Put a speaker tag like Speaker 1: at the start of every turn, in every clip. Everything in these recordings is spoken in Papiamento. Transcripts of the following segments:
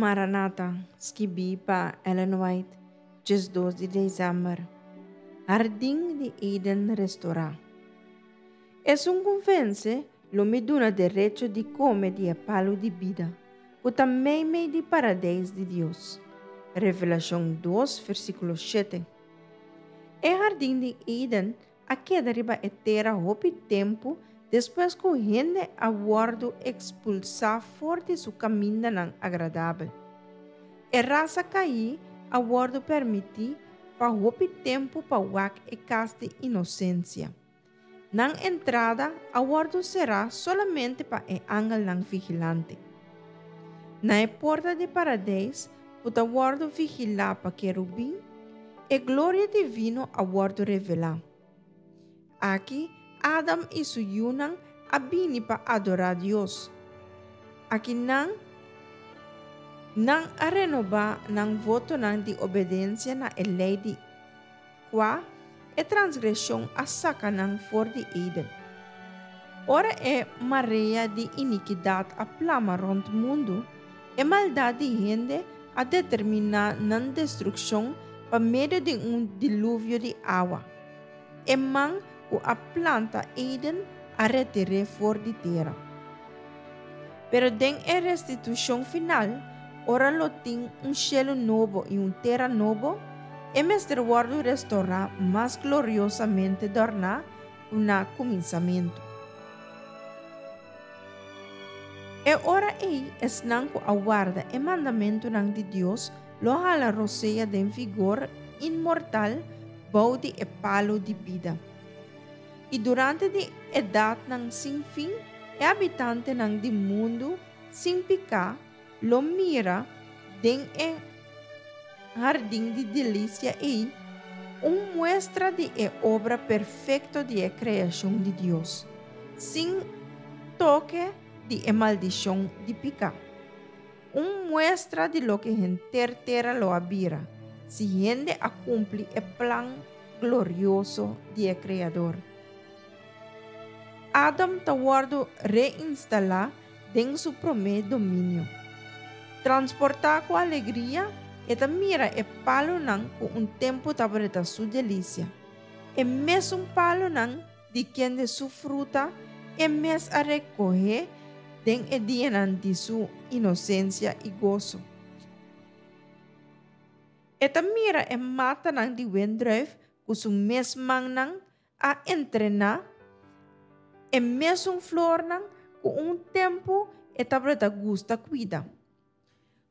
Speaker 1: Maranata, skibí pa Ellen White, 12 di desèmber. Hardin di Eden restorá. Esun ku vense, lo mi duna derecho di kome di e palu di bida, ku ta meimei di Paradeis di Dios. Revelashon 2, versíkulo 7. E hardin di Eden a keda riba e tera hopi tempu despues ku hende a wòrdu ekspulsá for di su kamindanan agradabel. E rasa kaí a wòrdu permití pa hopi tempu pa wak e kas di inosensia. Nan entrada a wòrdu será solamente pa e angelnan vigilante. Na e porta di Paradeis, ku ta wòrdu vigilá pa kerubin, e gloria divino a wòrdu revelá. Aki, Adam i su yunan a bini pa adorá Dios. Akinan, nan a renobá nan votonan di obedensia na e lei di Kua e transgreshon a saka nan for di Eden. Ora e marea di inikidat a plama rònt mundu, e maldat di hende a determiná nan destrukshon pa medio di un diluvio di awa. E man ku a planta Eden a retir'é for di tera. Pero den e restitushon final, ora lo tin un shelu nobo i un tera nobo, e mester wòrdu restorá mas gloriosamente dòrná ku na kuminsamentu. E ora ei esnan ku a warda e mandamentunan di Dios lo hala rosea den vigor inmortal bou di e palu di bida. I durante di edatnan sin fin e habitantenan di mundu sin piká lo mira den e hardin di delisia ei un muestra di e obra perfekto di e kreashon di Dios, sin toke di e maldishon di piká. Un muestra di loke henter tera lo a bira si hende a kumpli e plan glorioso di e Kreador. Adam ta wòrdu reinstalá den su promé dominio. Transportá ku alegria, e ta mira e palunan ku un tempu tabata su delisia, e mesun palunan di kende su fruta e mes a rekohé den e dianan di su inosensia i goso. E ta mira e matanan di wendrùif ku su mes mannan a entrená, e mesun flornan ku un tempu e tabata gusta kuida.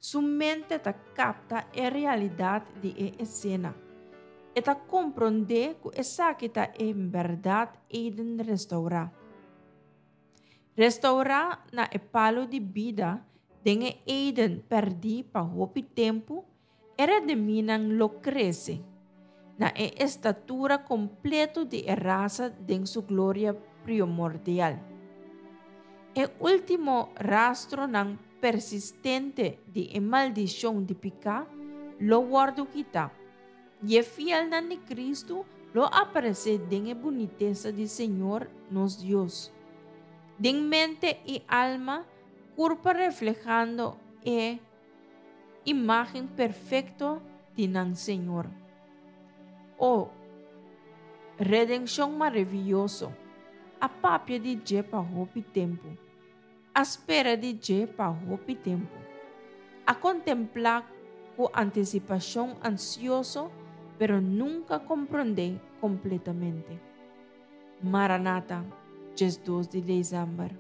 Speaker 1: Su mente ta kapta e realidat di e esena. E ta komprondé ku esaki ta en bèrdat Eden restourá. Restourá na e palu di bida den e Eden pèrdí pa hopi tempu, e redemínan lo krese na e estatura kompleto di e rasa den su gloria priomordial. E último rastronan persistente di e maldishon di piká lo wòrdu kitá, i e fielnan di Kristu lo aparesé den e bunitesa di Señor nos Dios, den mente i alma kurpa reflehando e imágen perfekto di nan Señor. O, redenshon maravioso! A papia di dje pa hopi tempu. A spera di dje pa hopi tempu. A kontemplá ku antisipashon ansioso, pero nunka komprondé kompletamente. Maranata, 12 di desèmber.